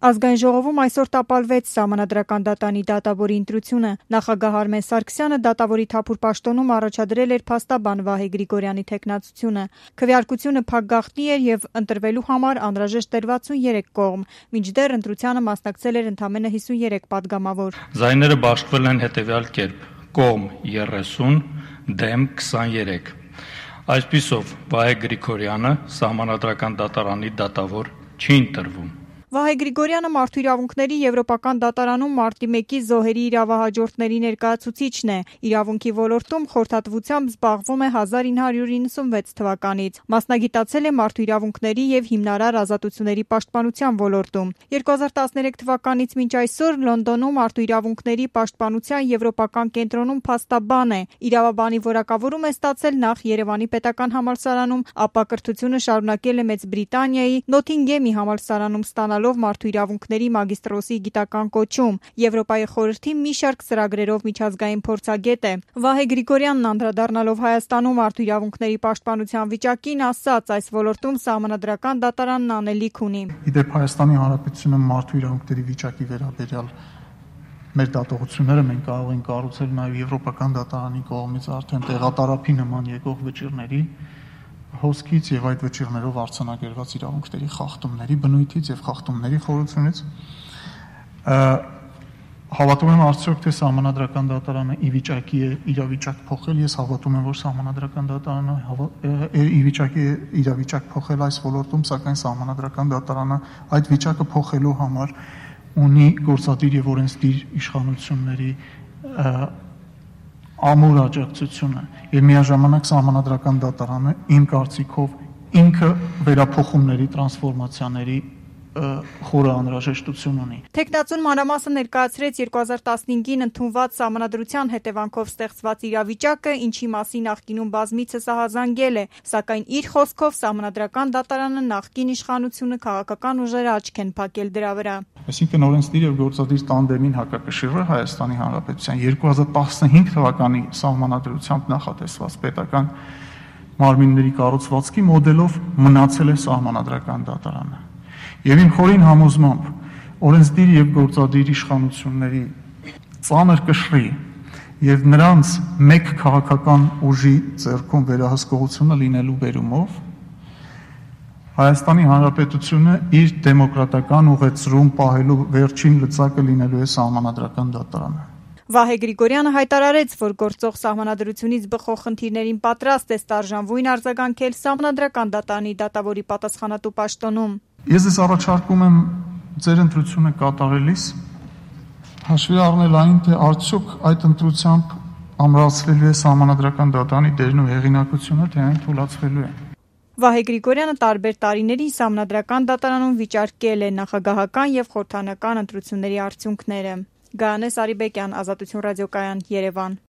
Ազգային ժողովում այսօր տապալվեց Սահմանադրական դատանի դատավորի ընտրությունը։ Նախագահ Արմեն Սարգսյանը դատավորի թափուր պաշտոնում առաջադրել էր փաստաբան Վահե Գրիգորյանի թեկնածությունը։ Քվեարկությունը փակ գաղտնի էր եւ ընտրվելու համար անհրաժեշտ էր 63 կողմ, մինչդեռ ընտրությանը մասնակցել էր ընդամենը 53 падգամավոր։ Ձայները բաշխվել են հետեւյալ կերպ. կողմ 30, դեմ 23։ Այսպիսով Վահե Գրիգորյանը Սահմանադրական դատարանի դատավոր չի ընտրվում։ Վահե Գրիգորյանը մարդու իրավունքների եվրոպական դատարանում մարտի 1-ի զոհերի իրավահաջորդների ներկայացուցիչն է։ Իրավունքի ոլորտում խորհրդատվությամբ զբաղվում է 1996 թվականից։ Մասնագիտացել է մարդու իրավունքների եւ հիմնարար ազատությունների պաշտպանության ոլորտում։ 2013 թվականից մինչ այսօր Լոնդոնում մարդու իրավունքների պաշտպանության եվրոպական կենտրոնում փաստաբան է։ Իրավաբանի որակավորում է ստացել նախ Երևանի պետական համալսարանում, ապա կրթությունը շարունակել է Մեծ Բրիտանիայի Նոթինգեմի համալսարանում ստանալով մարդու իրավունքների մագիստրոսի գիտական կոչում։ Եվրոպայի խորհրդի մի շարք ծրագրերով միջազգային փորձագետ է։ Վահե Գրիգորյանն անդրադառնալով Հայաստանում մարդու իրավունքների պաշտպանության վիճակին ասաց, այս ոլորտում Սահմանադրական դատարանն անելիք ունի։ Իդեպ Հայաստանի Հանրապետությունը մարդու իրավունքների վիճակի վերաբերյալ մեր դատողությունները մենք կարող ենք կառուցել նաև Եվրոպական դատարանի կողմից արդեն տեղատարափի նման եկող վճիռների հոսքից եւ այդ վճիռներով արձանագրված իրավունքների խախտումների բնույթից եւ խախտումների խորությունից հավատում եմ արդյոք թե Սահմանադրական դատարանը ի վիճակի է իրավիճակ փոխել։ Ես հավատում եմ, որ Սահմանադրական դատարանը ի վիճակի է իրավիճակ փոխել այս ոլորտում, սակայն Սահմանադրական դատարանը այդ վիճակը փոխելու համար ունի գործադիր եւ օրենսդիր իշխանությունների ամուր աջակցությունը եւ միաժամանակ Սահմանադրական դատարանը իմ կարծիքով ինքը վերափոխումների տրանսֆորմացիաների խորը անհրաժեշտություն ունի։ Թեկնածուն մանրամասը ներկայացրեց 2015-ին ընդունված Սահմանադրության հետևանքով ստեղծված իրավիճակը, ինչի մասին նախկինում բազմիցս ահազանգել է, սակայն իր խոսքով Սահմանադրական դատարանը նախկին իշխանությունը քաղաքական ուժերը աչք են փակել դրա վրա։ Այսինքն օրենսդիր եւ գործադիր տանդեմին հակակշիռը Հայաստանի Հանրապետության 2015 թվականի Սահմանադրությամբ նախատեսված պետական մարմինների կառուցվածքի մոդելով մնացել է Սահմանադրական դատարանը։ Եվ իմ խորին համոզմամբ օրենսդիր եւ գործադիր իշխանությունների ծանր կշռի եւ նրանց մեկ քաղաքական ուժի ձեռքում վերահսկողությունը լինելու բերումով Հայաստանի Հանրապետությունը իր դեմոկրատական ուղեցրում պահելու վերջին լծակը լինելու է Սահմանադրական դատարանը։ Վահե Գրիգորյանը հայտարարեց, որ գործող Սահմանադրությունից բխող խնդիրներին պատրաստ է ստարժանվույն արձագանքել Սահմանադրական դատարանի դատավորի պատասխանատու պաշտոնում։ Ես ձեզ առաջարկում եմ ձեր ընտրությունը կատարելիս հաշվի առնել այն, թե արդյոք այդ ընտրությամբ ամրացվելու է Սահմանադրական դատարանի դերն ու հեղինակությունը, թե այն թուլացվելու է։ Վահե Գրիգորյանը տարբեր տարիների Սահմանադրական դատարանում վիճարկել է նախագահական եւ խորհրդարանական ընտրությունների արդյունքները։ Գայանե Սարիբեկյան, Ազատություն ռադիոկայան, Երևան։